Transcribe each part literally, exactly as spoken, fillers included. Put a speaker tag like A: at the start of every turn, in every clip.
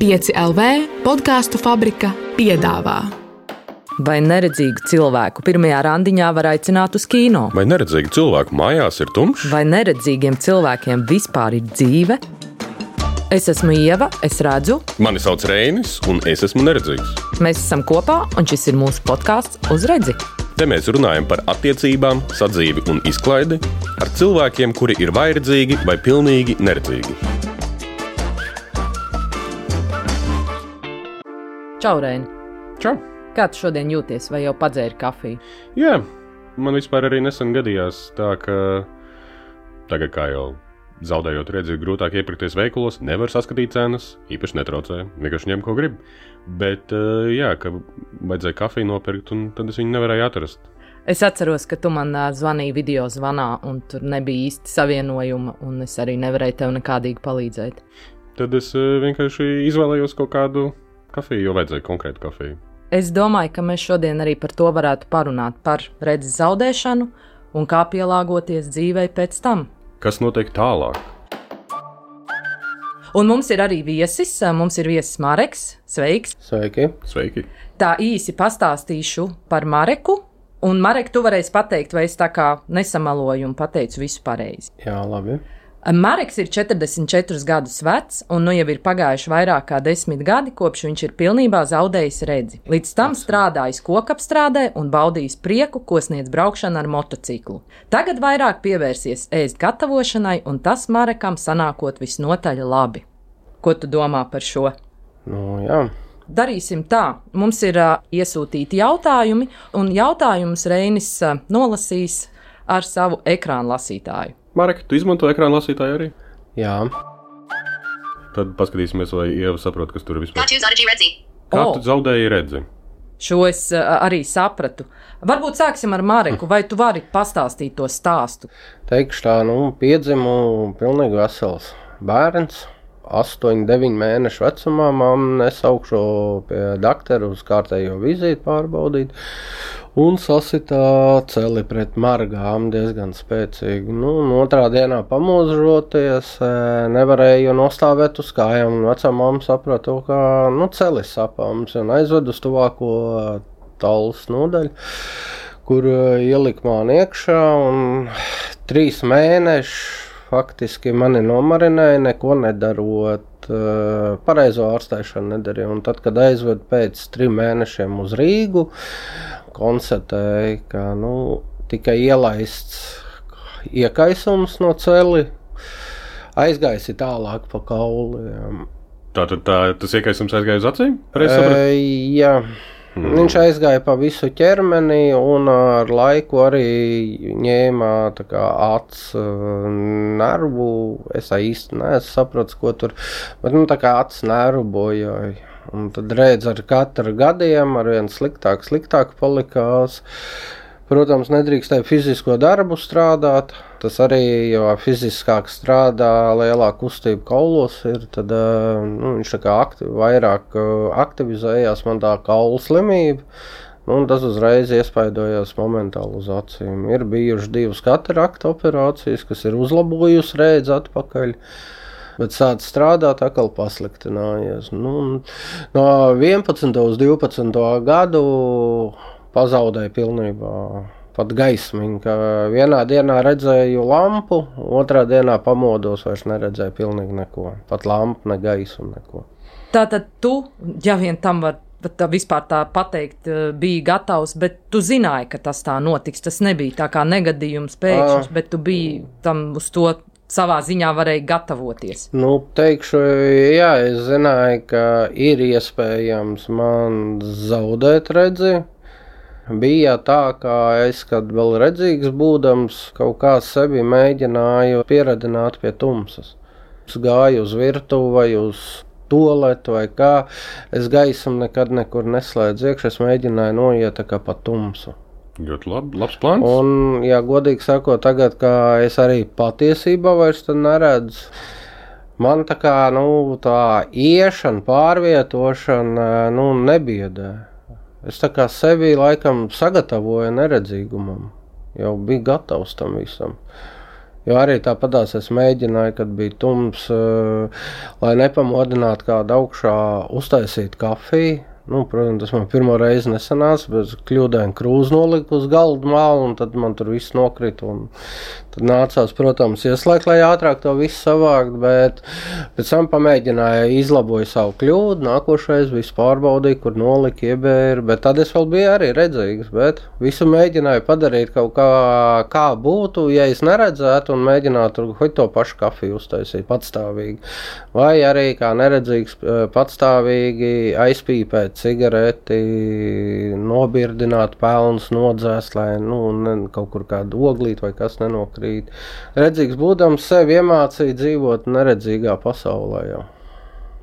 A: pieci L V podcastu fabrika piedāvā.
B: Vai neredzīgu cilvēku pirmajā randiņā var aicināt uz kino?
C: Vai neredzīgu cilvēku mājās ir tumšs?
B: Vai neredzīgiem cilvēkiem vispār ir dzīve? Es esmu Ieva, es redzu.
C: Mani sauc Reinis, un es esmu neredzīgs.
B: Mēs esam kopā, un šis ir mūsu podcasts Uz redzi.
C: Te mēs runājam par attiecībām, sadzīvi un izklaidi ar cilvēkiem, kuri ir vai redzīgi, vai pilnīgi neredzīgi.
B: Čau, Reini.
C: Čau.
B: Kā tu šodien jūties, vai jau padzēri kafiju?
C: Jā, man vispār arī nesen gadījās tā, ka tagad kā jau zaudējot redzi, grūtāk iepirkties veikalos, nevar saskatīt cenas, īpaši netraucē, vienkārši ņem, ko grib. Bet, jā, ka vajadzēja kafiju nopirkt, un tad es viņu nevarēju atrast.
B: Es atceros, ka tu man zvanīji video zvanā, un tur nebija īsti savienojuma, un es arī nevarēju tev nekādīgi palīdzēt.
C: Tad es vienkārši izvēlējos kaut kādu kafiju, jo vajadzēja konkrētu kafiju.
B: Es domāju, ka mēs šodien arī par to varētu parunāt, par redzes zaudēšanu un kā pielāgoties dzīvei pēc tam.
C: Kas notiek tālāk?
B: Un mums ir arī viesis, mums ir viesis Mareks. Sveiks!
D: Sveiki!
C: Sveiki!
B: Tā īsi pastāstīšu par Mareku, un Marek, tu varēsi pateikt, vai es tā kā nesamaloju un pateicu visu pareizi.
D: Jā, labi.
B: Mareks ir četrdesmit četrus gadus vecs, un nu jau ir pagājuši vairāk kā desmit gadi, kopš viņš ir pilnībā zaudējis redzi. Līdz tam strādājis kokapstrādē un baudījis prieku, ko sniedz braukšana ar motociklu. Tagad vairāk pievērsies ēst gatavošanai, un tas Marekam sanākot visnotaļ labi. Ko tu domā par šo?
D: Nu, jā.
B: Darīsim tā. Mums ir uh, iesūtīti jautājumi, un jautājumus Reinis uh, nolasīs ar savu ekrānu lasītāju.
C: Marek, tu izmanto ekrānu lasītāju arī?
D: Jā.
C: Tad paskatīsimies, vai Ieva saprot, kas tur ir vispār.
E: Kā tu zaudēji redzi?
C: Kā
B: O.
C: tu zaudēji redzi?
B: Šo es uh, arī sapratu. Varbūt sāksim ar Mareku, vai tu vari pastāstīt to stāstu?
D: Teikšu tā, nu, piedzimu pilnīgi vesels bērns. astoņi, deviņi mēnešu vecumā mamma nesaukšu pie doktora uz kārtējo vizīti pārbaudīt. Un sasitā celi pret margām diezgan spēcīgi. Nu, otrā dienā pamožoties, nevarēju nostāvēt uz kājām. Vecā mamma saprata, ka nu, celis sapāms un aizved uz tuvāko talus nodaļu, kur ielika mani iekšā. Un trīs mēneši faktiski mani nomarinēja, neko nedarot, pareizo ārstēšanu nedarīja. Un tad, kad aizved pēc trim mēnešiem uz Rīgu, konstatēja, ka nu, tikai ielaists iekaisums no celi, aizgaisi tālāk pa kauliem.
C: Tātad tā, tas iekaisums aizgāja uz acīm?
D: E, jā. Mm. Viņš aizgāja pa visu ķermeni un ar laiku arī ņēma tā kā acs nervu. Es īsti neesmu sapratis, ko tur, bet nu tā kā acs nervu bojāja. Un tad redz ar katru gadiem ar vien sliktāk, sliktāk palikās. Protams, nedrīkstēja fizisko darbu strādāt. Tas arī, jo fiziskāk strādā, lielāka kustība kaulos ir, tad nu, viņš tā kā aktiv, vairāk aktivizējās man tā kaulu slimība. Nu, un tas uzreiz iespaidojās momentāli uz acīm. Ir bijuši divas katarakta operācijas, kas ir uzlabojusi redzi atpakaļ. Bet sāc strādāt, atkal pasliktinājies. Nu, no vienpadsmit uz divpadsmit gadu pazaudēju pilnībā pat gaismiņu, ka vienā dienā redzēju lampu, otrā dienā pamodos, vairs neredzēju pilnīgi neko. Pat lampu, ne gaisu, neko.
B: Tātad tu, ja vien tam var tā vispār tā pateikt, biji gatavs, bet tu zināji, ka tas tā notiks. Tas nebija tā kā negadījums pēkšņs, bet tu biji tam uz to savā ziņā varēja gatavoties.
D: Nu, teikšu, jā, es zināju, ka ir iespējams man zaudēt redzi. Bija tā, ka es, kad vēl redzīgs būdams, kaut kā sevi mēģināju pieradināt pie tumsas. Es gāju uz virtuvi vai uz toaletu vai kā, es gaismu nekad nekur neslēdzu iekšā, es mēģināju noiet tā kā pa tumsu.
C: Ļoti lab, labs plāns.
D: Un, ja godīgi sakot, tagad, kā es arī patiesībā vairs tad neredzu, man tā kā, nu, tā iešana, pārvietošana, nu, nebiedē. Es tā kā sevi laikam sagatavoju neredzīgumam, jau biju gatavs tam visam. Jo arī tāpatās es mēģināju, kad bija tums, lai nepamodinātu kādu augšā uztaisīt kafiju. Nu, protams, tas man pirmo reizi nesanāca, bet kļūdaini krūzi noliku uz galdu malu, un tad man tur viss nokrita. Tad nācās, protams, ieslēgt, lai ātrāk to visu savākt, bet pēc tam pamēģināju izlaboju savu kļūdu, nākošais visu pārbaudīju, kur noliku, iebēru, bet tad es vēl biju arī redzīgs, bet visu mēģināju padarīt kaut kā, kā būtu, ja es neredzētu un mēģinātu hoļ to pašu kafiju uztaisīt patstāvīgi. Vai arī kā neredzīgs patstāvīgi aizpīpēt cigareti, nobirdināt pelnus, nodzēst, lai nu, ne, kaut kur kādu oglīt vai kas nenokrīt. Redzīgs būdams sevi iemācīja dzīvot neredzīgā pasaulē jau.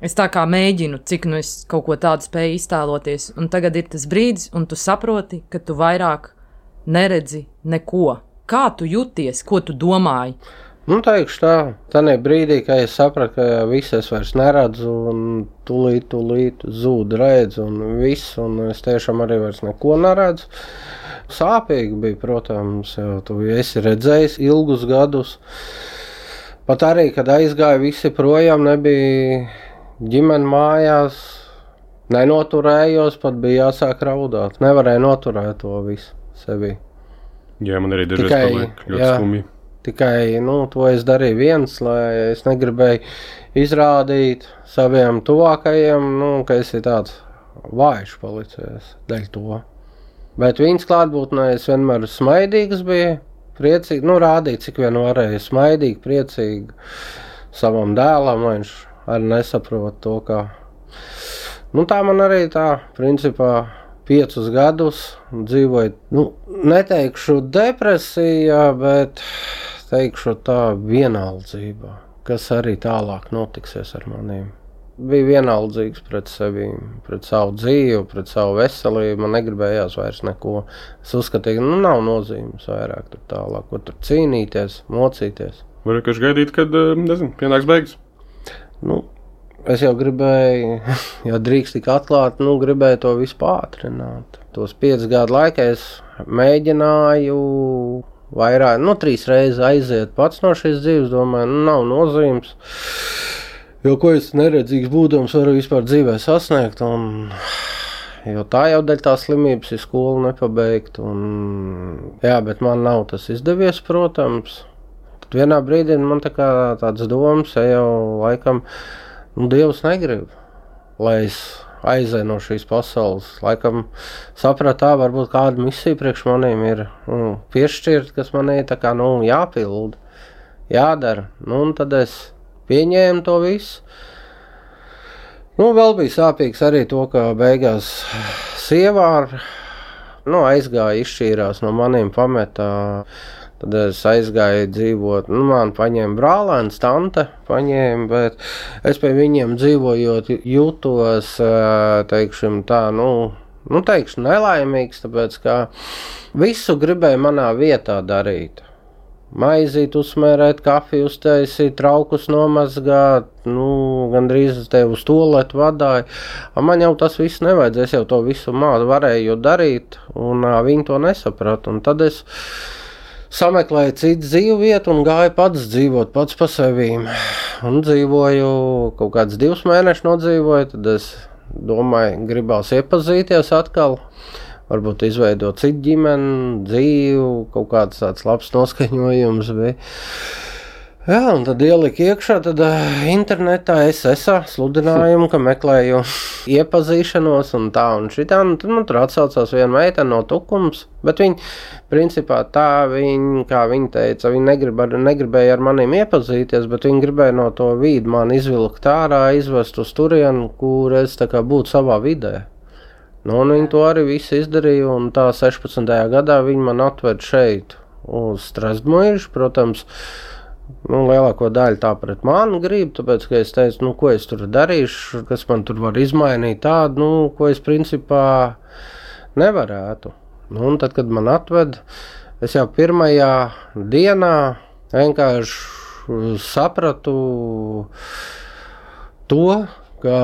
B: Es tā kā mēģinu, cik nu es kaut ko tādu spēju iztēloties, un tagad ir tas brīdis, un tu saproti, ka tu vairāk neredzi neko. Kā tu jūties, ko tu domāji?
D: Nu, teikšu tā, tādā brīdī, kad es sapratu, ka visu es vairs neredzu, un tūlīt, tūlīt zūd redz, un viss, un es tiešām arī vairs neko neredzu. Sāpīgi bija, protams, jau tu esi redzējis ilgus gadus. Pat arī, kad aizgāja visi projām, nebija ģimene mājās, nenoturējos, pat bija jāsāk raudāt. Nevarēja noturēt to visu sevi.
C: Jā, man arī dažreiz paliek ļoti skumji.
D: Tikai, nu, to es darīju viens, lai es negribēju izrādīt saviem tuvākajiem, nu, ka esi tāds vājš palicies dēļ to. Bet viņas klātbūtnē es vienmēr smaidīgs biju, priecīgi, nu, rādīt, cik vien varēju, smaidīgi, priecīgi savam dēlam, viņš arī nesaprot to, ka, nu, tā man arī tā, principā, piecus gadus dzīvoju, nu, neteikšu depresijā, bet teikšu tā vienaldzībā, kas arī tālāk notiksies ar maniem. Bija vienaldzīgs pret sevi, pret savu dzīvi, pret savu veselību, man negribējās vairs neko. Es uzskatīju, nu, nav nozīmes vairāk tur tālāk, ko tur cīnīties, mocīties.
C: Var vienkārši gaidīt, kad, nezinu, pienāks beigas?
D: Nu, es jau gribēju, ja drīkst tik atklāt, nu, gribēju to visu pātrināt. Tos piecus gadu laikā es mēģināju vairāk, nu, trīs reizes aiziet pats no šīs dzīves, domāju, nu, nav nozīmes. Jo ko es neredzīgs būdams varu vispār dzīvē sasniegt, un, jo tā jau dēļ tā slimības ir skolu nepabeigt, un, jā, bet man nav tas izdevies, protams. Tad vienā brīdī man tā kā tāds domas, ja jau laikam, nu, Dievs negrib, lai es aizēju no šīs pasaules. Laikam saprat tā, varbūt kāda misija priekš maniem ir nu, piešķirt, kas manī tā kā, nu, jāpild, jādara. Nu, un tad es pieņēmu to visu. Nu, vēl bija sāpīgs arī to, ka beigās sievā nu, aizgāja, izšķīrās no maniem pametā. Tad es aizgāju dzīvot, nu, man paņēma brālēns, tante paņēma, bet es pie viņiem dzīvojot jūtos, teikšim tā, nu, nu teikšu nelaimīgs, tāpēc, ka visu gribēju manā vietā darīt. Maizīt, uzsmērēt, kafiju uztaisīt, traukus nomazgāt, nu, gandrīz te uz toaletu vadāju. Man jau tas viss nevajadzēs, jau to visu mādu varēju darīt, un uh, viņi to nesaprat. Un tad es sameklēju citu dzīvu vietu un gāju pats dzīvot, pats pa sevīm. Un dzīvoju, kaut kāds divus mēnešus nodzīvoju, tad es domāju, gribās iepazīties atkal. Varbūt izveidot citu ģimeni, dzīvu, kaut kāds tāds labs noskaņojums bija. Jā, un tad ieliku iekšā, tad uh, internetā es esā sludinājumu, ka meklēju iepazīšanos un tā un šitā, un tad man tur atsaucās viena meitene no Tukums, bet viņi, principā tā, viņi, kā viņi teica, viņi negrib ar, negribēja ar maniem iepazīties, bet viņi gribēja no to vīdu man izvilkt ārā, izvest uz turienu, kur es tā kā būtu savā vidē. Nu, un viņi to arī visu izdarīja, un tā sešpadsmitajā gadā viņi man atved šeit uz Strasbūru, protams, nu, lielāko daļu tā pret mani grib, tāpēc, ka es teicu, nu, ko es tur darīšu, kas man tur var izmainīt tādu, nu, ko es principā nevarētu. Nu, un tad, kad man atved, es jau pirmajā dienā vienkārši sapratu to, ka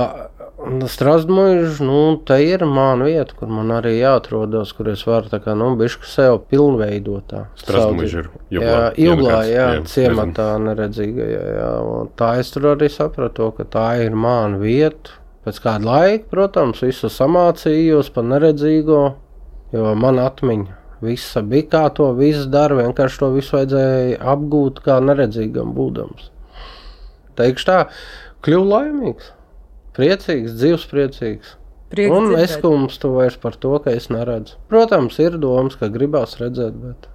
D: Strasdmuiž, nu, te ir mana vieta, kur man arī jāatrodas, kur es varu tā kā, nu, bišku sev pilnveidot tā.
C: Strasdmuiž ir Juglā.
D: Jā, Juglā, jā,
C: jā,
D: ciematā neredzīgajā, jā. Un tā es tur arī sapratu, ka tā ir mana vieta. Pēc kāda laika, protams, visu samācījos par neredzīgo, jo man atmiņa visa bija kā to visu dara, vienkārši to visu vajadzēja apgūt kā neredzīgam būdams. Teikšu tā, kļuvu laimīgs, priecīgs, dzīvs priecīgs.
B: Prieks
D: un
B: dzirdēt.
D: es kumstu vairs par to, ka es neredzu. Protams, ir domas, ka gribās redzēt, bet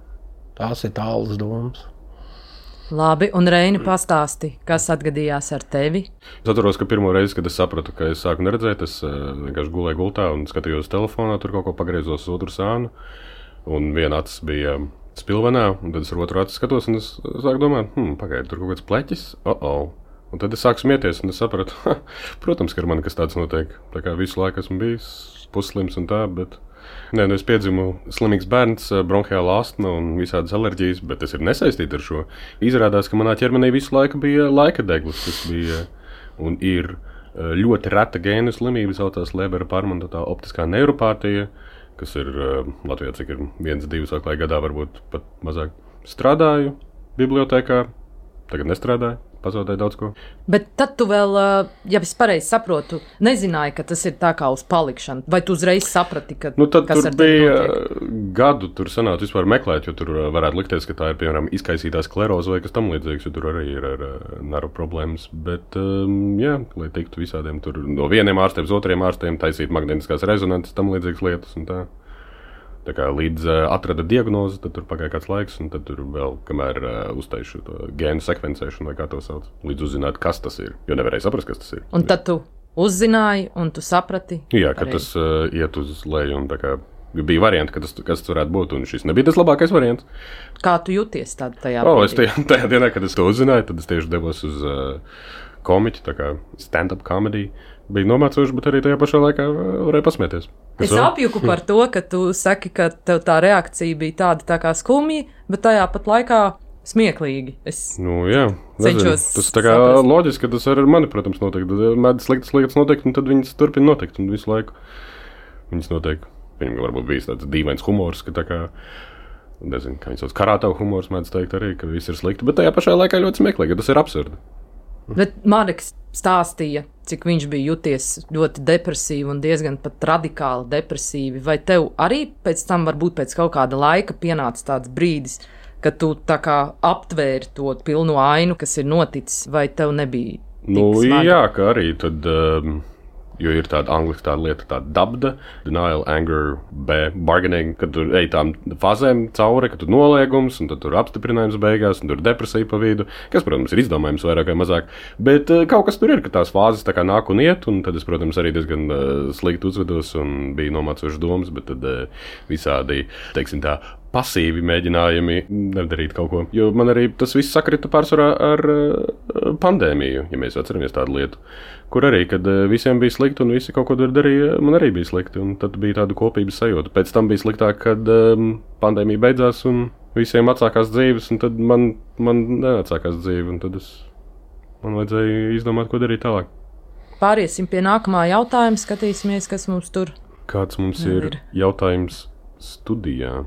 D: tās ir tālas domas.
B: Labi, un Reini pastāsti, kas atgadījās ar tevi?
C: Es atceros, ka pirmo reizi, kad es sapratu, ka es sāku neredzēt, es uh, vienkārši gulēju gultā un skatījos telefonā, tur kaut ko pagriezos uz otru sānu. Un viena acis bija spilvenā, un tad es ar otru aci skatos, un es sāku domāt, hm, pagaidi, tur kaut kāds pleķis, oh-oh. Un tad es sāku smieties, un es sapratu, ha, protams, ka ar mani kas tāds notiek. Tā kā visu laiku esmu bijis pusslims un tā, bet... Nē, nu es piedzimu slimīgs bērns, bronhiāla astma un visādas alerģijas, bet tas ir nesaistīti ar šo. Izrādās, ka manā ķermenī visu laiku bija laika deglis, kas bija un ir ļoti reta gēnu slimība, saucās Lebera pārmantotā optiskā neuropātija, kas ir Latvijā, cik ir viens, divas vai gadā, varbūt pat mazāk. Strādāju bibliotēkā, tagad nestrādāju. Pazaudēju daudz ko.
B: Bet tad tu vēl, ja es pareizi saprotu, nezināji, ka tas ir tā kā uz palikšanu. Vai tu uzreiz saprati, ka
C: nu, tad
B: kas
C: tur
B: ar tevi
C: bija
B: notiek?
C: Gadu, tur sanāca vispār meklēt, jo tur varētu likties, ka tā ir, piemēram, izkaisītā skleroze vai kas tam līdzīgs, jo tur arī ir ar naru problēmas. Bet, um, jā, lai tiktu visādiem tur no vieniem ārstiem uz otriem ārstiem, taisīt magnētiskās rezonances, tam līdzīgas lietas un tā. Tā kā līdz uh, atrada diagnozi, tad tur pagāja kāds laiks, un tad tur vēl, kamēr uh, uztaišu to gēnu sekvencēšanu, vai kā to sauc, līdz uzzināt, kas tas ir, jo nevarēja saprast, kas tas ir.
B: Un tad tu uzzināji, un tu saprati?
C: Jā, ka tas uh, iet uz leju, un tā kā bija varianti, ka tas, kas tas varētu būt, un šis nebija tas labākais variants.
B: Kā tu jūties tad tajā
C: O,
B: brīdī?
C: es tajā, tajā dienā, kad es to uzzināju, tad es tieši devos uz uh, komiķi, tā kā stand-up comedy. Bija nomācoši, bet arī tajā pašā laikā varēja pasmieties.
B: Es apjuku par to, ka tu saki, ka tev tā reakcija bija tāda tā kā skumja, bet tajā pat laikā smieklīgi. Es
C: nu, jā, nezinu.
B: cenšos
C: Tas tā kā
B: saprast.
C: loģiski, ka tas ar mani, protams, notiek. Tad mēdz sliktas lietas notiek, un tad viņas turpina notikt, un visu laiku viņas notiek. Viņam varbūt bijis tāds dīvains humors, ka tā kā, nezinu, kā viņi sauc, karātavu humors mēdz teikt arī, ka viss ir slikti, bet tajā pašā laikā ļoti smieklīgi, ka tas ir absurdi.
B: Bet Mareks stāstīja, cik viņš bija jūties ļoti depresīvi un diezgan pat radikāli depresīvi. Vai tev arī pēc tam, varbūt pēc kaut kāda laika, pienāca tāds brīdis, kad tu tā kā aptvēri to pilno ainu, kas ir noticis, vai tev nebija tik
C: Nu,
B: smagi?
C: jā, ka arī tad, um, jo ir tāda angliski tāda lieta, tāda dabda, denial, anger, B, bargaining, kad tu ej tām fazēm cauri, kad tu noliegums, un tad tur apstiprinājums beigās, un tur depresija pa vidu, kas, protams, ir izdomājums vairāk vai mazāk, bet uh, kaut kas tur ir, ka tās fāzes tā kā nāk un iet, un tad es, protams, arī diezgan uh, slikti uzvedos un bija nomācošas domas, bet tad uh, visādi, teiksim tā, pasīvi mēģinājumi nedarīt kaut ko. Jo man arī tas viss sakrita pārsvarā ar uh, pandēmiju, ja mēs atceramies tādu lietu, kur arī, kad uh, visiem bija slikti un visi kaut ko darīja, man arī bija slikti, un tad bija tāda kopības sajūta. Pēc tam bija sliktāk, kad um, pandēmija beidzās un visiem atsākās dzīves, un tad man, man neatsākās dzīve, un tad es, man vajadzēja izdomāt, ko darīt tālāk.
B: Pāriesim pie nākamā jautājuma, skatīsimies, kas mums tur
C: Kāds mums
B: Nu,
C: ir
B: ir.
C: jautājums studijā?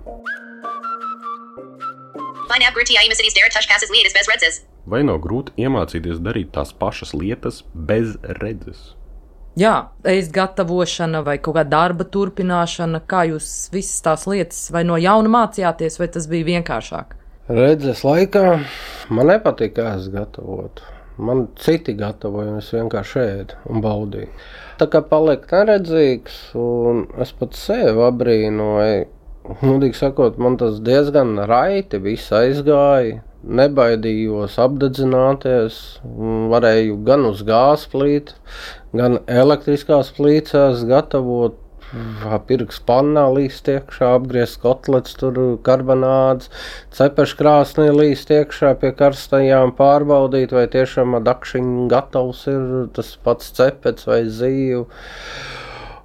E: Find out Gruti Aimacities Dara Tushkasas Lietas Bez Redzes.
C: Vai nav grūti iemācīties darīt tās pašas lietas bez redzes?
B: Jā, ēst gatavošana vai kaut kāda darba turpināšana, kā jūs visas tās lietas vai no jauna mācījāties, vai tas bija vienkāršāk?
D: Redzes laikā man nepatīk, kā es gatavotu. Man citi gatavoja, un es vienkārši ēdu un baudīju. Tā kā paliek neredzīgs, un es pat sevi abrīnoju. Mudīgi sakot, man tas diezgan raiti viss aizgāja. Nebaidījos apdedzināties, varēju gan uz gāzes plīti, gan elektriskās plīcās gatavot, pirks pannā līst iekšā, apgriezt kotlets, tur karbonādes, cepeškrāsnī līst iekšā pie karstajām, pārbaudīt, vai tiešām dakšiņ gatavs ir tas pats cepets vai zīvu.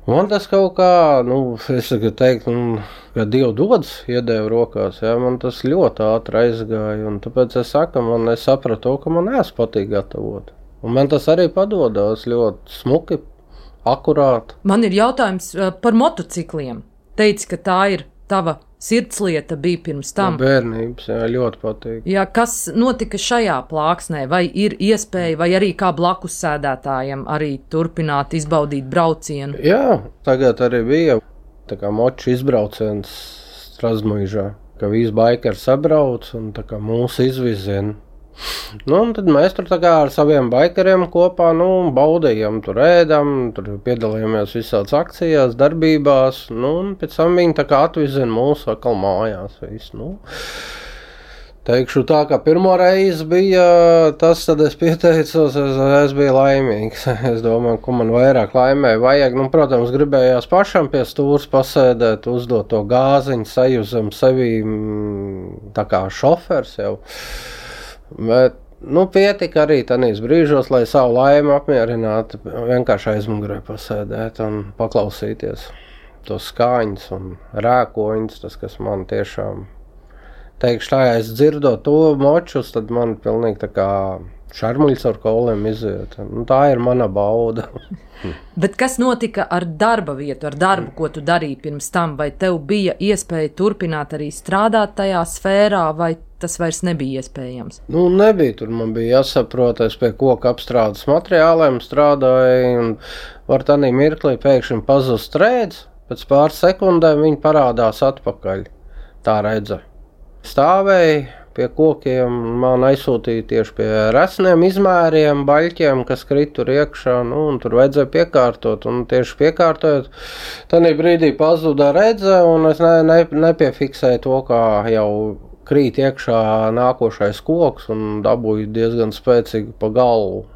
D: Man tas kaut kā, nu, es tagad teiktu, nu, ka Dievu dodas iedēvu rokās, jā, man tas ļoti ātri aizgāja, un tāpēc es saku, man es sapratu, ka man neesmu patīk gatavot. Un man tas arī padodās ļoti smuki, akurāta.
B: Man ir jautājums par motocikliem. Teici, ka tā ir tava sirdslieta bija pirms tam.
D: No bērnības, jā, ļoti patīk.
B: Jā, kas notika šajā plāksnē? Vai ir iespēja, vai arī kā blakus sēdētājiem arī turpināt izbaudīt braucienu?
D: Jā, tagad arī bija tā kā moču izbrauciens Strazmuižā, ka visi baikeri sabrauc un tā kā mūsu izvizien. Nu, un tad mēs tur tā kā ar saviem baikeriem kopā, nu, baudījām, tur ēdam, tur piedalījāmies visāds akcijās, darbībās, nu, un pēc tam viņi tā kā atvizina mūsu atkal mājās, visu, nu. Teikšu tā, ka pirmo reizi bija tas, tad es pieteicos, es, es biju laimīgs. Es domāju, ko man vairāk laimē vajag. Nu, protams, gribējās pašam pie stūras pasēdēt, uzdot to gāziņu, sajūzam sevi tā kā šofers jau. Bet, nu, pietika arī tanīs brīžos, lai savu laimi apmierinātu, vienkārši aizmugurē pasēdēt un paklausīties tos skaņas un rēkoņus, tas, kas man tiešām, teikšu tā, ja es dzirdot to močus, tad man pilnīgi tā kā šarmuļs ar kauliem iziet. Nu, tā ir mana bauda.
B: Bet kas notika ar darba vietu, ar darbu, ko tu darīji pirms tam? Vai tev bija iespēja turpināt arī strādāt tajā sfērā, vai tas vairs nebija iespējams?
D: Nu, nebija. Tur man bija jāsaprot, es pie koka apstrādes materiāliem strādāju, un var tādā mirklī pēkšņi pazust rēdz, pēc pāris sekundēm viņi parādās atpakaļ. Tā redza. Stāvēja pie kokiem, man aizsūtīja tieši pie resniem izmēriem, baļķiem, kas krīt tur iekšā, nu, un tur vajadzēja piekārtot, un tieši piekārtojot, tādā brīdī pazuda redze, un es ne, ne, nepiefiksēju to, kā jau krīt iekšā nākošais koks, un dabūju diezgan spēcīgi pa galvu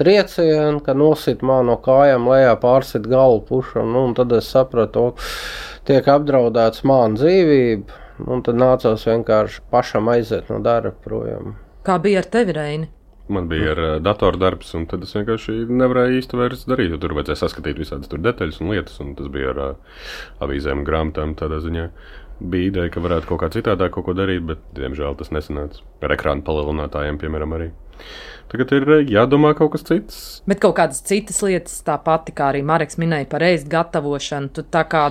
D: triecienu, ka nosit man no kājām lejā, pārsit galvu pušam, nu, un tad es sapratu, tiek apdraudēts man dzīvība. Un tad nācās vienkārši pašam aiziet no darba projām.
B: Kā bija ar tevi, Reini?
C: Man bija ar uh, datordarbs, un tad es vienkārši nevarēju īsti vairs darīt, jo tur vajadzēja saskatīt visādas tur detaļas un lietas, un tas bija ar uh, avīzēm un grāmatām tādā ziņā. Bija ideja, ka varētu kaut kā citādāk kaut ko darīt, bet, diemžēl, tas nesanāca. Ar ekrānu palielinātājiem, piemēram, arī. Tagad ir jādomā kaut kas cits.
B: Bet kaut kādas citas lietas, tā pati, kā arī Mareks minēja par ēst gatavošanu, tu tā kā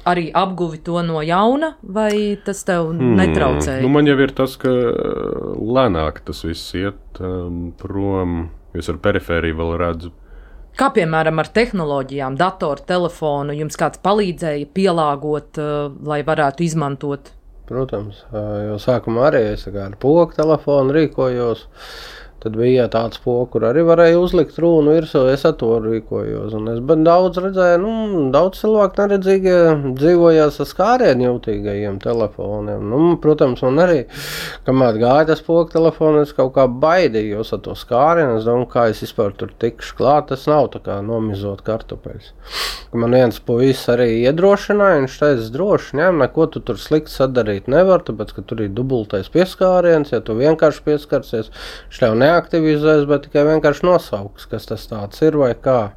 B: arī apguvi to no jauna, vai tas tev netraucēja?
C: Hmm. Nu, man jau ir tas, ka lēnāk tas viss iet um, prom, jo es ar perifēriju vēl redzu.
B: Kā piemēram ar tehnoloģijām, datoru, telefonu, jums kāds palīdzēja pielāgot, uh, lai varētu izmantot?
D: Protams, jo sākumā arī es ar pogu telefonu rīkojos. Tad bija tāds poks, kur arī varēja uzlikt rūnu virsū, es ar to rīkojos. Un es daudz redzēju, nu, daudz cilvēku neredzīgie dzīvojās ar skārienu jūtīgajiem telefoniem. Nu, protams, man arī, kamēr gāja tas poks telefonu, es kaut kā baidījos ar to skārienu. Es domāju, kā es vispār tur tikšu klāt, tas nav tā kā nomizot kartupeļus. Man viens puisis arī iedrošināja, viņš teica, droši, ņem, neko tu tur slikti sadarīt nevar, tāpēc, ka tur ir dubultais pieskāriens, ja tu vienkārši pieskarsies, šļau neaktivizēs, bet tikai vienkārši nosauks, kas tas tāds ir vai kā.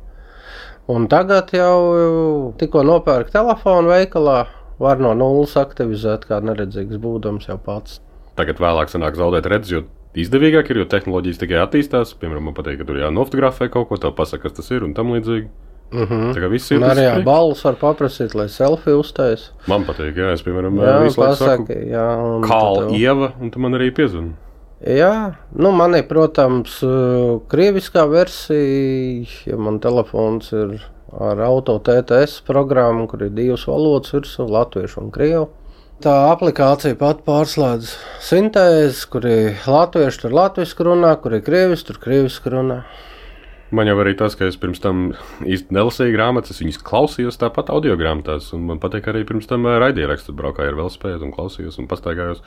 D: Un tagad jau tikko nopērk telefonu veikalā, var no nulles aktivizēt, kā neredzīgs būdams jau pats.
C: Tagad vēlāk sanāk zaudēt redzi, jo izdevīgāk ir, jo tehnoloģijas tikai attīstās. Piemēram, man patīk, ka tur jānofotografē kaut ko, tev pasaka, kas tas ir un tam līdzīgi.
D: Mm-hmm.
C: Tā kā viss ir.
D: Un arī jā, balvas var paprasīt, lai selfie uztais.
C: Man patīk, jā, es, piemēram,
D: jā,
C: visu laiku saku,
D: jā,
C: Kāla Ieva, un tu man arī piezvani.
D: Jā, nu man ir, protams, krieviskā versija, ja man telefons ir ar auto T T S programmu, kur ir divas valodas virsū, latviešu un krievu. Tā aplikācija pat pārslēdz sintēzi, kur ir latviešu, tur latviski runā, kur ir krievis, tur krieviski runā.
C: Man jau arī tas, ka es pirms tam īsti nelasīju grāmatas, es viņas klausījos tāpat audio grāmatās, un man patīk arī pirms tam raidierakstu braukāju ar velospēdu un klausījos un pastaigājos.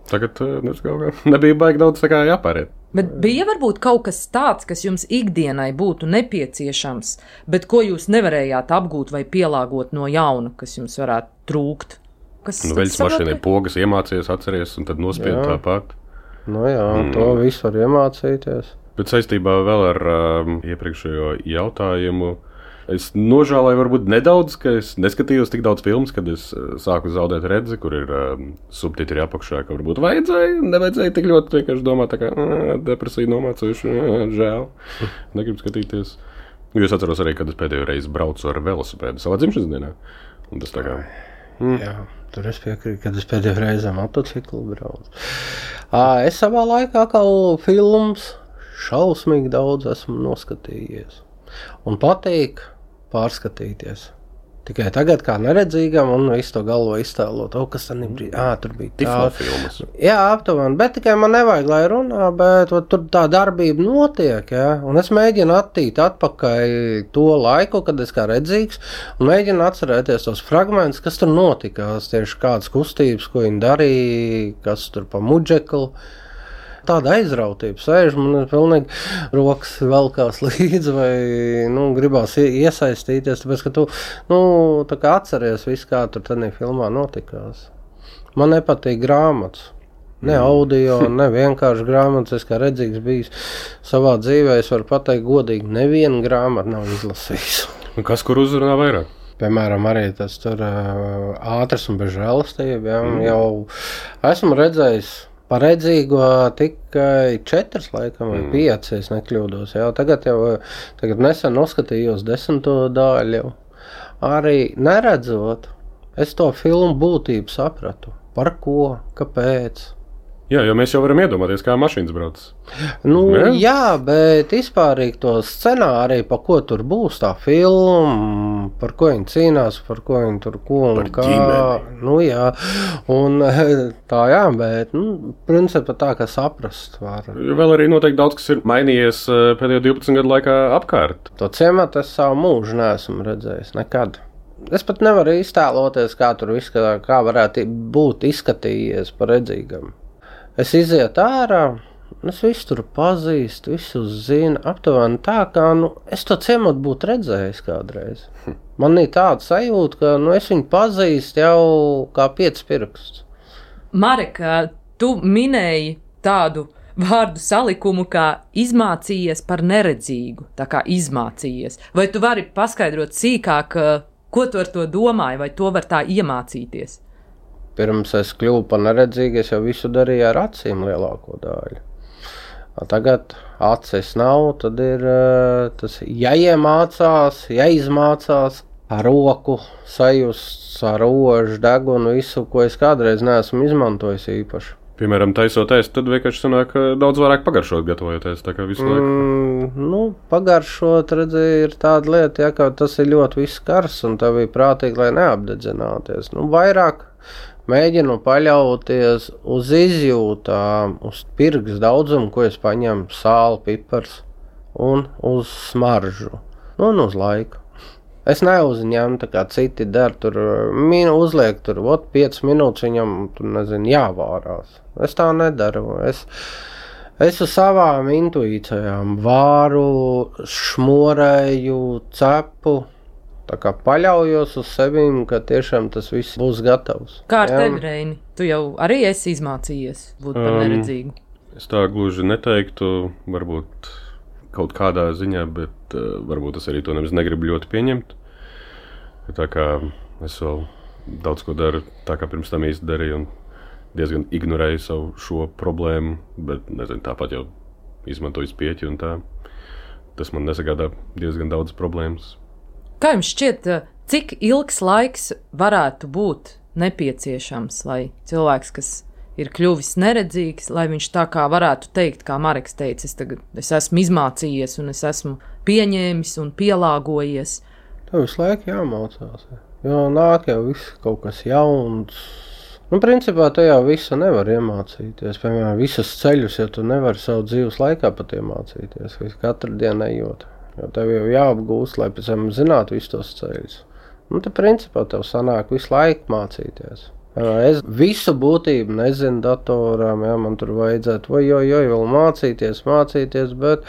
C: Tagad nezinu, nebija baigi daudz tā kā jāpāriet.
B: Bet bija varbūt kaut kas tāds, kas jums ikdienai būtu nepieciešams, bet ko jūs nevarējāt apgūt vai pielāgot no jauna, kas jums varētu trūkt? Kas
C: nu, veļas mašīnai pogas iemācījies, atceries, un tad nospied tāpat.
D: Nu jā, mm. to visu var iemācīties.
C: Bet saistībā vēl ar um, iepriekšējo jautājumu, es nožēlēju varbūt nedaudz, ka es neskatījos tik daudz filmas, kad es uh, sāku zaudēt redzi, kur ir um, subtitri apakšā, ka varbūt vajadzēja, nevajadzēja tik ļoti vienkārši domāt, tā kā depresija nomācojuši, žēl, negribu skatīties. Jūs atceros arī, kad es pēdējo reizi braucu ar velosipēdu savā dzimšanas dienā. Un tas tā kā...
D: Mm. Jā, tur es piekrītu, kad es pēdējo reizi ar motociklu braucu. Es savā laikā kā films šausmīgi daudz esmu noskatījies. Un patīk pārskatīties. Tikai tagad kā neredzīgam un visu to galvo iztēlot, o, kas tad nebija, ā, tur bija tā.
C: Tiflo filmas.
D: Jā, aptuveni, bet tikai man nevajag, lai runā, bet o, tur tā darbība notiek, jā, un es mēģinu attīt atpakaļ to laiku, kad es kā redzīgs, un mēģinu atcerēties tos fragmentus, kas tur notikās, tieši kādas kustības, ko viņi darīja, kas tur pa mudžeklu. Tāda aizrautība sēž, man ir pilnīgi rokas velkās līdzi vai, nu, gribās iesaistīties, tāpēc, ka tu, nu, tā kā atceries visu, kā tur tādā filmā notikās. Man nepatīk grāmatas. Ne audio, ne vienkārši grāmatas, es kā redzīgs bijis savā dzīvē, es varu pateikt godīgi, nevienu grāmatu nav izlasījis.
C: Kas kur uzrunā vairāk?
D: Piemēram, arī tas tur ātrs un bez žēlastība, jā, mm. jau esmu redzējis par redzīgo tikai četras, laikam, vai mm. pieci, es nekļūdos. Jā. Tagad jau tagad nesen noskatījos desmito daļu jau. Arī neredzot, es to filmu būtību sapratu. Par ko, kāpēc.
C: Jā, jo mēs jau varam iedomāties, kā mašīnas brauc.
D: Nu, jā, jā bet vispārīgi to scenāriju, pa ko tur būs tā filma, par ko viņi cīnās, par ko viņi tur ko un
C: par
D: kā.
C: Ģimeni.
D: Nu, jā, un tā jā, bet, nu, principā tā, ka saprast var.
C: Vēl arī noteikti daudz, kas ir mainījies pēdējo divpadsmit gadu laikā apkārt.
D: To ciematu es savu mūžu neesmu redzējis, nekad. Es pat nevaru iztēloties, kā tur viss, kā, kā varētu būt izskatījies par redzīgam. Es izietu ārā, es visu tur pazīstu, visu zinu, aptuveni tā, kā, nu, es to ciematu būtu redzējis kādreiz. Man ir tāda sajūta, ka, nu, es viņu pazīstu jau kā pieci pirksts.
B: Marek, tu minēji tādu vārdu salikumu, kā izmācījies par neredzīgu, tā kā izmācījies. Vai tu vari paskaidrot sīkāk, ko tu ar to domāji, vai to var tā iemācīties?
D: Pirms es kļuvu par neredzīgu, es jau visu darīju ar acīm lielāko daļu. Tagad acis nav, tad ir tas jāiemācās, jāizmācās ar roku, sajust ar rožu, degunu, visu, ko es kādreiz neesmu izmantojis īpaši.
C: Piemēram, taisot ēst, tad vienkārši sanāk daudz vairāk pagaršot gatavojoties, tā kā visu laiku.
D: Mm, nu, pagaršot, redzi, ir tāda lieta, ja, ka tas ir ļoti viss kars, un tev ir prātīgi, lai neapdedzināties. Nu, vairāk mēģinu paļauties uz izjūtām, uz pirks daudzumu, ko es paņemu, sāli, pipars, un uz smaržu, nu, un uz laiku. Es neuzņemu, tā kā citi der, tur minu uzliek, tur, ot, piecas minūtes viņam, tur, nezinu, jāvārās. Es tā nedaru. Es, es uz savām intuīcijām vāru, šmorēju, cepu, tā kā paļaujos uz sevīm, ka tiešām tas viss būs gatavs.
B: Kā ar tevi, Reini? Tu jau arī esi izmācījies būt par neredzīgu.
C: Um, es tā gluži neteiktu, varbūt kaut kādā ziņā, bet uh, varbūt es arī to nemaz negribu ļoti pieņemt. Tā kā es vēl daudz ko daru, tā kā pirms tam īsti darīju un diezgan ignorēju savu šo problēmu, bet, nezinu, tāpat jau izmantoju spieķi un tā. Tas man nesagādā diezgan daudz problēmas.
B: Kā jums šķiet, cik ilgs laiks varētu būt nepieciešams, lai cilvēks, kas ir kļuvis neredzīgs, lai viņš tā kā varētu teikt, kā Mareks teica, es tagad es esmu izmācījies un es esmu pieņēmis un pielāgojies.
D: Tev visu laiku jāmācās, jo nāk jau viss kaut kas jauns. Nu, principā te jau visu nevar iemācīties, piemēram, visus ceļus, ja tu nevari savu dzīves laikā pat iemācīties, visu katru dienu ejot. Jo tev jau jāapgūst, lai pēc tam zinātu visus tos ceļus. Nu, te principā tev sanāk visu laiku mācīties. Es visu būtību nezinu datorām, jā, man tur vajadzētu, oj, oj, oj, vēl mācīties, mācīties, bet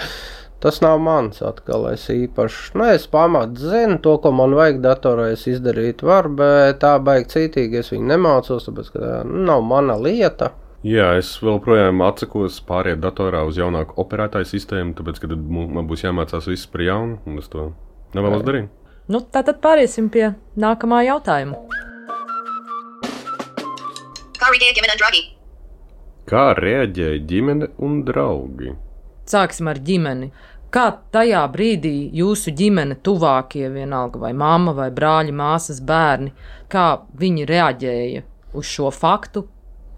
D: tas nav mans atkal, es īpaši, nu, es pamat zinu to, ko man vajag datorā, es izdarīt var, bet tā baigi cītīgi, es viņu nemācos, tāpēc, ka tā nav mana lieta.
C: Jā, es vēl projām atsakos pāriet datorā uz jaunāku operētāju sistēmu, tāpēc, ka tad man būs jāmācās viss par jaunu, un es to nevēlos darīt.
B: Nu, tātad pāriesim pie nākamā jautājuma.
E: Kā reaģēja ģimene un draugi?
C: Kā reaģēja ģimene un draugi?
B: Sāksim ar ģimeni. Kā tajā brīdī jūsu ģimene, tuvākie vienalga, vai mamma, vai brāļi, māsas, bērni, kā viņi reaģēja uz šo faktu,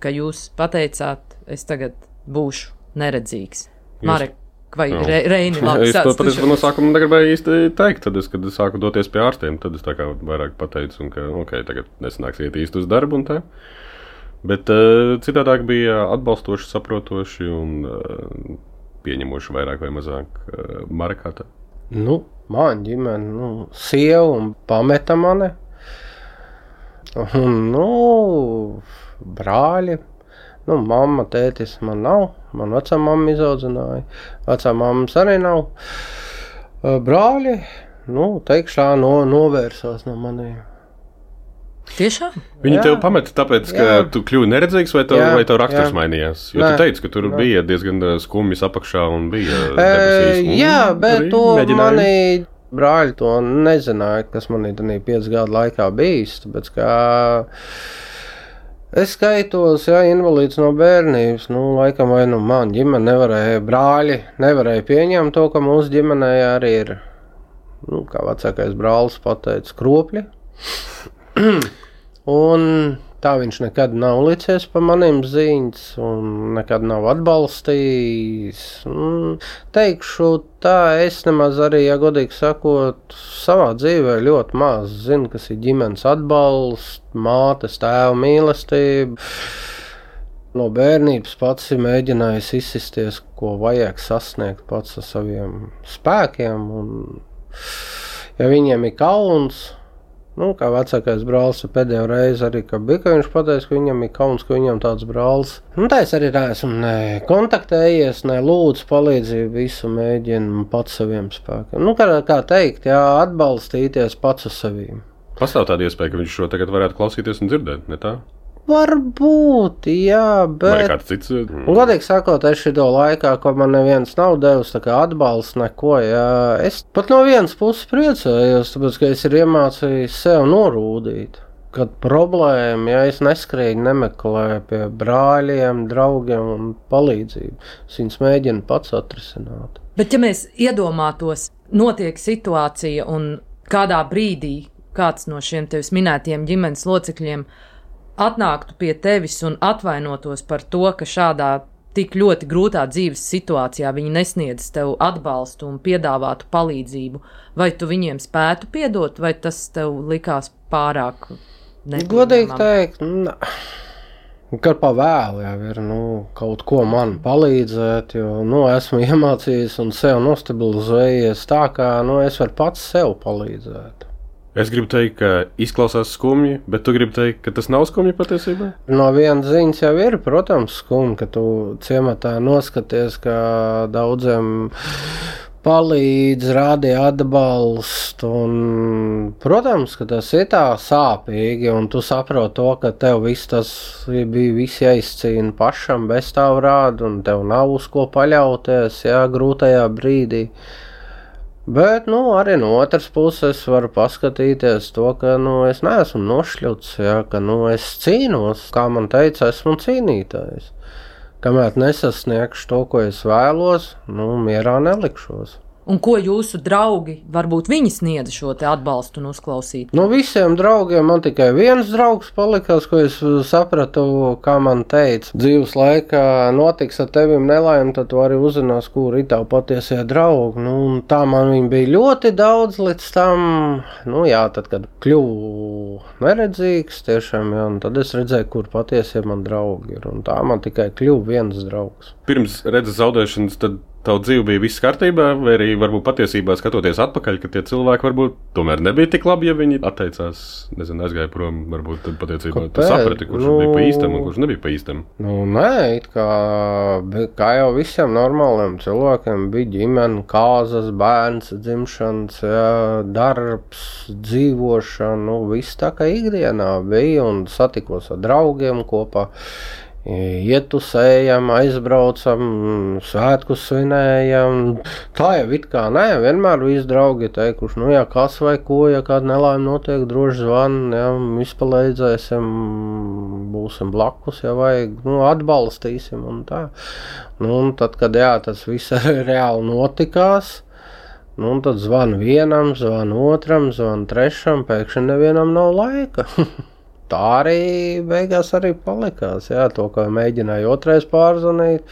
B: ka jūs pateicāt, es tagad būšu neredzīgs? Marek, vai Re, Reini, labi,
C: es
B: sāc,
C: to patiesībā no sākuma negribēju īsti teikt, tad es, kad es sāku doties pie ārstiem, tad es tā kā vairāk pateicu, un ka, ok, tagad nesanāks iet īsti uz darbu un tā. Bet uh, citādāk bija atbalstoši, saprotoši un uh, pieņemoši vairāk vai mazāk uh, Marekā tā.
D: Nu, man ģimene, nu, sieva un pameta mani. Un, nu, brāļi. Nu, mamma, tētis man nav. Man vecā mamma izaudzināja. Vecā mammas arī nav. Brāļi, nu, teikšā, no, novērsās no maniem.
B: Tiešām?
C: Viņi
D: Jā.
C: tev pameta tāpēc, ka
D: Jā.
C: tu kļuvi neredzīgs, vai tev,
D: Jā,
C: vai tev raksturs
D: jā.
C: mainījās? Jo
D: Nē.
C: tu teici, ka tur Nē. bija diezgan skumjas apakšā un bija
D: E,
C: depresijas. Un
D: jā, bet
C: arī
D: to
C: mēģināja.
D: mani brāļi to nezināja, kas manī tādā piecu gadu laikā bijis. Tāpēc, kā es skaitos, jā, invalīds no bērnības, nu, laikam vai nu man ģimene nevarēja, brāļi nevarēja pieņemt to, ka mūsu ģimenē arī ir, nu, kā vecākais brālis pateica, kropļi. Un tā viņš nekad nav licies pa maniem ziņas un nekad nav atbalstījis. Un teikšu tā, es nemaz arī, ja godīgi sakot, savā dzīvē ļoti maz zinu, kas ir ģimenes atbalsts, mātes, tēva mīlestība. No bērnības pats ir mēģinājis izsisties, ko vajag sasniegt pats ar saviem spēkiem. Un, ja viņiem ir kauns, nu, kā vecākais brālis pēdējo reizi arī bija, ka viņš pateica, ka viņam ir kauns, ka viņam tāds brālis. Nu, tā es arī neesmu ne kontaktējies, ne lūdzu palīdzību, visu mēģinu pats saviem spēkiem. Nu, kā, kā teikt, jā, atbalstīties pats uz saviem.
C: Pastāv tāda iespēja, ka viņš šo tagad varētu klausīties un dzirdēt, ne tā?
D: Varbūt, jā,
C: Vai
D: bet...
C: kāds cits?
D: Un, godīgi sakot, es šito laikā, ko man neviens nav devis, tā kā atbalsts neko, jā, es pat no vienas puses priecājos, tāpēc, ka es ir iemācījis sev norūdīt. Kad problēma, ja es neskrēju, nemeklēju pie brāļiem, draugiem un palīdzību, es viņus mēģinu pats atrisināt.
B: Bet ja mēs iedomātos, notiek situācija un kādā brīdī kāds no šiem tevis minētiem ģimenes locekļiem atnāktu pie tevis un atvainotos par to, ka šādā tik ļoti grūtā dzīves situācijā viņi nesniedz tev atbalstu un piedāvātu palīdzību, vai tu viņiem spētu piedot, vai tas tev likās pārāk nepieņemami?
D: Godīgi teikt, ne. Kad pa vēlu jau ir, nu, kaut ko man palīdzēt, jo, nu, esmu iemācījies un sev nostabilizējies tā, kā, nu, es varu pats sev palīdzēt.
C: Es gribu teikt, ka izklausās skumji, bet tu gribi teikt, ka tas nav skumji patiesībā?
D: No vienas ziņas jau ir, protams, skumji, ka tu ciematā noskaties, ka daudziem palīdz, rādi atbalstu, un, protams, ka tas ir tā sāpīgi, un tu saproti to, ka tev viss tas bija viss jāizcīna pašam bez tavu rādu, un tev nav uz ko paļauties, jā, grūtajā brīdī. Bet, nu, arī no otras puses varu paskatīties to, ka, nu, es neesmu nošļuts, jā, ka, nu, es cīnos, kā man teica, esmu cīnītājs. Kamēr nesasniegšu to, ko es vēlos, nu, mierā nelikšos.
B: Un ko jūsu draugi, varbūt viņi sniedza šo te atbalstu un uzklausīt?
D: No visiem draugiem man tikai viens draugs palikās, ko es sapratu, kā man teica. Dzīves laikā notiks ar tevim nelaime, tad tu arī uzzinās, kur ir tavu patiesie draugi. Nu, tā man viņi bija ļoti daudz līdz tam, nu jā, tad, kad kļuvu neredzīgs, tiešām, jā, un tad es redzēju, kur patiesie man draugi ir, un tā man tikai kļuva viens draugs.
C: Pirms redzes zaudēšanas, tad tavu dzīvi bija viss kārtībā, vai arī varbūt patiesībā skatoties atpakaļ, ka tie cilvēki varbūt tomēr nebija tik labi, ja viņi atteicās, nezinu, aizgāja prom, varbūt tad patiesībā tu saprati, kurš nu, bija pa īstam un kurš nebija pa īstam.
D: Nu, nē, it kā, kā jau visiem normāliem cilvēkiem bija ģimene, kāzas, bērns, dzimšanas, jā, darbs, dzīvošana, nu, viss tā kā ikdienā bija un satikos ar draugiem kopā. Ietusējam, aizbraucam, svētkus svinējam. Tā jau it kā nē, vienmēr visi draugi teikuši, nu jā, kas vai ko, ja kāda nelaime notiek, droši zvan, jā, izpalīdzēsim, būsim blakus, ja vajag, nu, atbalstīsim un tā. Nu, un tad, kad jā, tas viss reāli notikās, Nu, un tad zvanu vienam, zvanu otram, zvanu trešam, pēkšņi nevienam nav laika. Tā arī beigās arī palikās, jā, to, kā mēģināju otrais pārzvanīt.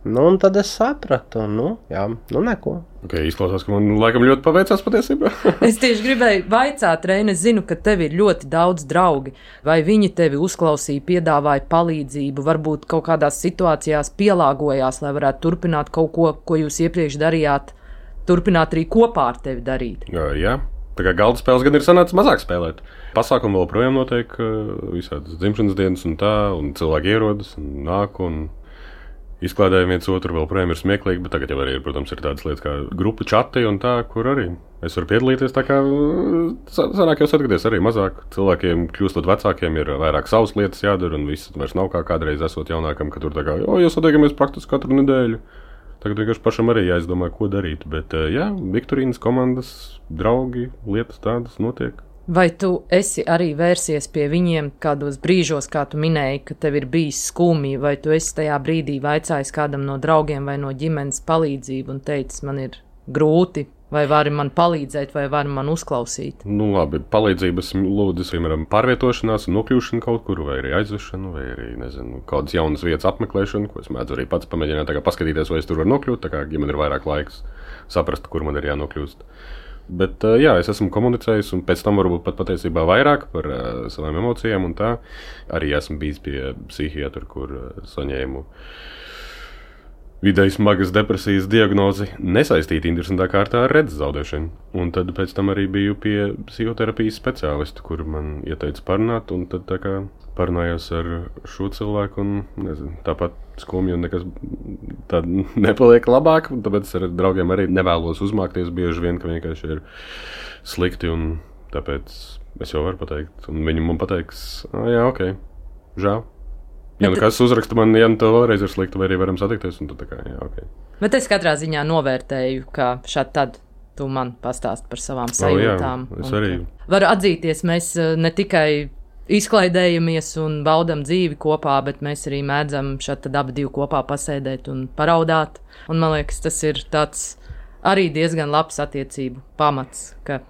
D: Nu, un tad es sapratu, nu, jā, nu neko.
C: Ok, izklausās, ka man laikam ļoti paveicās patiesībā.
B: Es tieši gribēju vaicāt, Reine, es zinu, ka tev ir ļoti daudz draugi. Vai viņi tevi uzklausīja, piedāvāja palīdzību, varbūt kaut kādās situācijās pielāgojās, lai varētu turpināt kaut ko, ko jūs iepriekš darījāt, turpināt arī kopā ar tevi darīt?
C: Jā, jā. Tā kā galda spēles gan ir sanācis mazāk spēlēt. Pasākumi vēl projām notiek, visādas dzimšanas dienas un tā, un cilvēki ierodas un nāk un izklādējumi viens otru, vēl projām ir smieklīgi, bet tagad jau arī ir, protams, ir tādas lietas kā grupu čati un tā, kur arī es varu piedalīties, tā kā sanāk jau satikaties arī mazāk. Cilvēkiem kļūstot vecākiem ir vairāk savas lietas jādara un viss vairs nav kā kādreiz esot jaunākam, ka tur tā kā, o, jūs satiekamies praktiski katru nedēļu. Tagad vienkārši pašam arī jāizdomā, ko darīt, bet jā, Viktorīnas komandas, draugi, lietas tādas notiek.
B: Vai tu esi arī vērsies pie viņiem kādos brīžos, kā tu minēji, ka tev ir bijis skumji, vai tu esi tajā brīdī vaicājis kādam no draugiem vai no ģimenes palīdzību un teicis, man ir grūti, vai vari man palīdzēt, vai vari man uzklausīt?
C: Nu labi, palīdzības lūdzu, piemēram, pārvietošanās un nokļūšana kaut kur, vai arī aizvešana, vai arī, nezinu, kādas jaunas vietas apmeklēšana, ko es mēdzu arī pats pamēģināt tā kā paskatīties, vai es tur varu nokļūt, tā kā, ja man ir vairāk laiks saprast, kur man ir jānokļūst. Bet, jā, es esmu komunicējis, un pēc tam varbūt pat patiesībā vairāk par uh, savām emocijām un tā. Arī esmu bijis pie psihiatra, kur uh, saņēmu vidēji smagas depresijas diagnozi nesaistīta interesantā kārtā ar redzes zaudēšanu. Un tad pēc tam arī biju pie psihoterapijas speciālista, kur man ieteica parunāt, un tad tā kā parunājos ar šo cilvēku, un nezinu, tāpat skumji un nekas tā nepaliek labāk, un tāpēc ar draugiem arī nevēlos uzmākties bieži vien, ka vienkārši ir slikti, un tāpēc es jau varu pateikt, un viņi man pateiks, jā, ok, žēl. Ja nu kas uzraksta man, ja nu tev vēlreiz ir slikti, vai arī varam satikties, un tad tā kā, jā, ok.
B: Bet es katrā ziņā novērtēju, ka šādi tad tu man pastāst par savām sajūtām.
C: Oh, jā, es arī.
B: Varu atzīties, mēs ne tikai izklaidējamies un baudam dzīvi kopā, bet mēs arī mēdzam šādi tad abi divi kopā pasēdēt un paraudāt. Un man liekas, tas ir tāds arī diezgan labs attiecību pamats, ka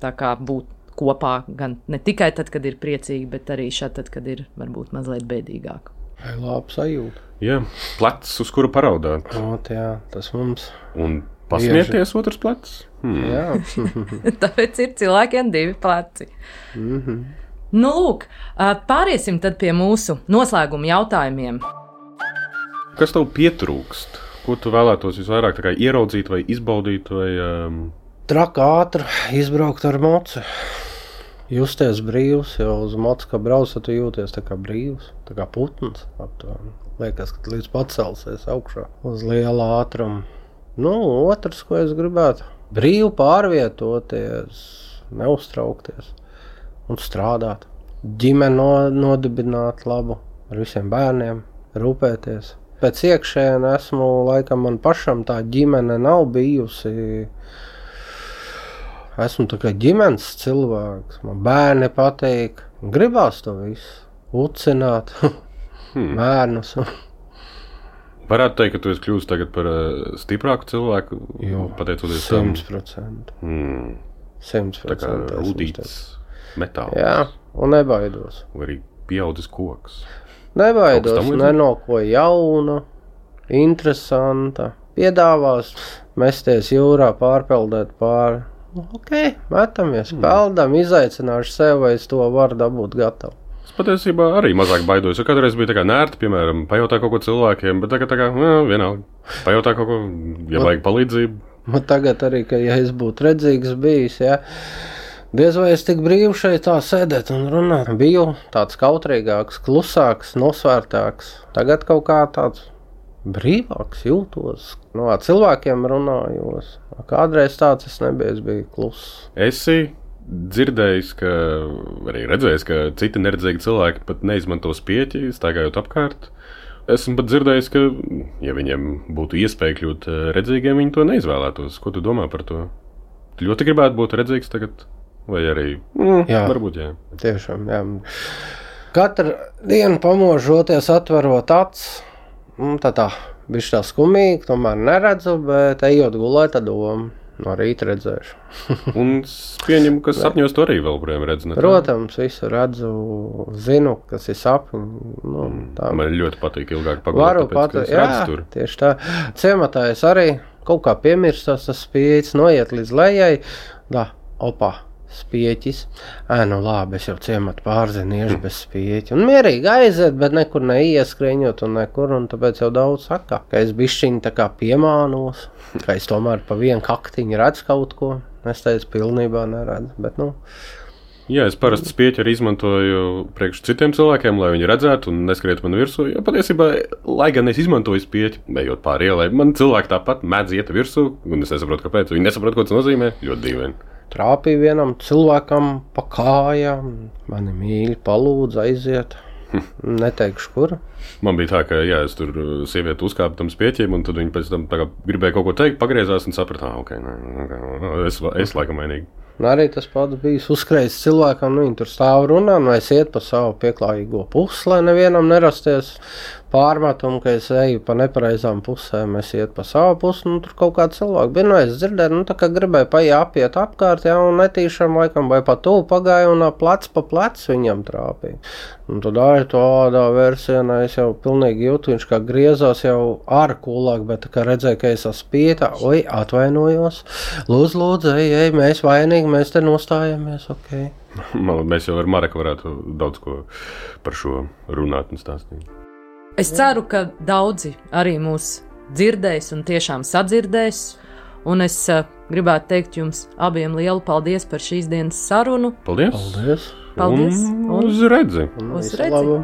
B: tā kā būt kopā gan ne tikai tad, kad ir priecīgi, bet arī šādi tad, kad ir varbūt mazliet bēdīgāk.
D: Vai labi sajūta?
C: Jā, plecs, uz kuru paraudāt.
D: O, jā, tas mums.
C: Un pasmieties otrs plecs.
D: Hmm. Jā.
B: Tāpēc ir cilvēkiem divi pleci.
D: Mm-hmm.
B: Nu, lūk, pāriesim tad pie mūsu noslēguma jautājumiem.
C: Kas tev pietrūkst? Ko tu vēlētos visvairāk tā kā ieraudzīt vai izbaudīt? Vai, um...
D: Traka ātri izbraukt ar moci. Justies brīvs, jo uz moci, kā brauc, tu jūties tā kā brīvs, tā kā putns. Aptuveni. Liekas, ka līdz pacelsies augšā uz liela ātruma. Nu, otrs, ko es gribētu, brīvi pārvietoties, neuztraukties un strādāt. Ģimeni no, nodibināt labu ar visiem bērniem, rūpēties. Pēc iekšēna esmu, laikam man pašam tā ģimene nav bijusi. Esmu tā kā ģimenes cilvēks, man bērni patīk, gribās to visu, ucināt, hmm. bērnus.
C: Varētu teikt, ka tu esi kļūst tagad par uh, stiprāku cilvēku,
D: jo,
C: pateicoties tam?
D: Simts procentu.
C: Hmm.
D: Simts procentu.
C: Tā kā rūtīts metāls.
D: Jā, un nebaidos.
C: Vai arī pieaudzis koks.
D: Nebaidos, ne no ko jauna, interesanta. Piedāvās mesties jūrā, pārpeldēt pāri. Ok, metamies, peldam, izaicināšu sev, vai es to varu dabūt gatavu.
C: Es patiesībā arī mazāk baidos, jo kādreiz bija tā kā nērti, piemēram, pajautā kaut ko cilvēkiem, bet tagad tā kā, jā, vienalga, pajautā kaut ko, ja vajag palīdzību.
D: Man tagad arī, ka ja es būtu redzīgs bijis, jā, diez vai es tik brīvi šeit tā sēdēt un runāt. Biju tāds kautrīgāks, klusāks, nosvērtāks, tagad kaut kā tāds brīvāks jūtos, no cilvēkiem runājos. Kādreiz tāds es nebiju, es biju kluss.
C: Esi dzirdējis, ka, arī redzējis, ka citi neredzīgi cilvēki pat neizmanto spieķi, staigājot apkārt. Esmu pat dzirdējis, ka, ja viņiem būtu iespēja kļūt redzīgiem, viņi to neizvēlētos. Ko tu domā par to? Tu ļoti gribētu būt redzīgs tagad? Vai arī? Mm,
D: jā,
C: varbūt, jā.
D: Tiešām, jā. Katru dienu pamožoties, atverot acis, tā tā, bišķi tā skumīgi, tomēr neredzu, bet ejot gulēt, tad doma. no rīta redzēšu.
C: Un es pieņemu, ka sapņos to arī vēl projām redz. Ne?
D: Protams, visu redzu, zinu, kas ir sapņi. Nu, tā.
C: Man ļoti patīk ilgāk pagulēt,
D: Varu
C: tāpēc,
D: pat,
C: ka es
D: jā,
C: redzu tur.
D: Tieši tā. Ciematā es arī kaut kā piemirstos, tas spieķis noiet līdz lejai. Da, opā. Spieķis. Ē, nu labi, es jau ciematu pārziniešu bez spieķi. Un mierīgi aiziet, bet nekur neieskriņot un nekur, un tāpēc jau daudz saka, ka es bišķiņi tā kā piemānos, ka es tomēr pa vienu kaktiņu redzu kaut ko. Es teicu, pilnībā neredzu, bet nu.
C: Jā, es parasti spieķi arī izmantoju priekš citiem cilvēkiem, lai viņi redzētu un neskrietu man virsū. Jo patiesībā, lai gan es izmantoju spieķi, ejot pāri ielai, man cilvēki tāpat mēdz iet virsū, un es nesaprotu, kāpēc. Viņi nesaprot, ko tas nozīmē. Ļoti dīvaini.
D: Trāpīja vienam cilvēkam pa kājām, mani mīļi palūdza aiziet, neteikšu, kur.
C: Man bija tā, ka jā, es tur sievieti uzkāpu tam spieķiem, un tad viņi pēc tam tā kā gribēja kaut ko teikt, pagriezās un saprata, ah, ok, nē, okay, es, es laikam mainīgi.
D: Un arī tas pats bijis uzskrējis cilvēkam, nu viņi tur stāv runā, nu es iet pa savu pieklājīgo pusi, lai nevienam nerasties pārmetumu, ka es eju pa nepareizām pusēm, es iet pa savu pusi, nu tur kaut kāds cilvēks bija, nu es dzirdēju, nu tā kā gribēju paiet apiet apkārt, jā, un netīšām laikam vai pa tuvu pagāja, un plec pa plec viņam trāpīja. Un tad arī tādā versienā es jau pilnīgi jūtu, viņš kā griezās jau ar kulāk, bet tā kā redzēju, ka es esmu pietā, oi, atvainojos, lūdzu, lūdzu, ej, ej, mēs vainīgi, mēs te nostājamies, ok.
C: Man, mēs jau ar Mareku varētu daudz ko par šo runāt un stāstīt.
B: Es ceru, ka daudzi arī mūs dzirdēs un tiešām sadzirdēs, un es uh, gribētu teikt jums abiem lielu paldies par šīs dienas sarunu.
C: Paldies!
D: Paldies!
B: Paldies!
C: Un uz redzi!
B: Uz redzi!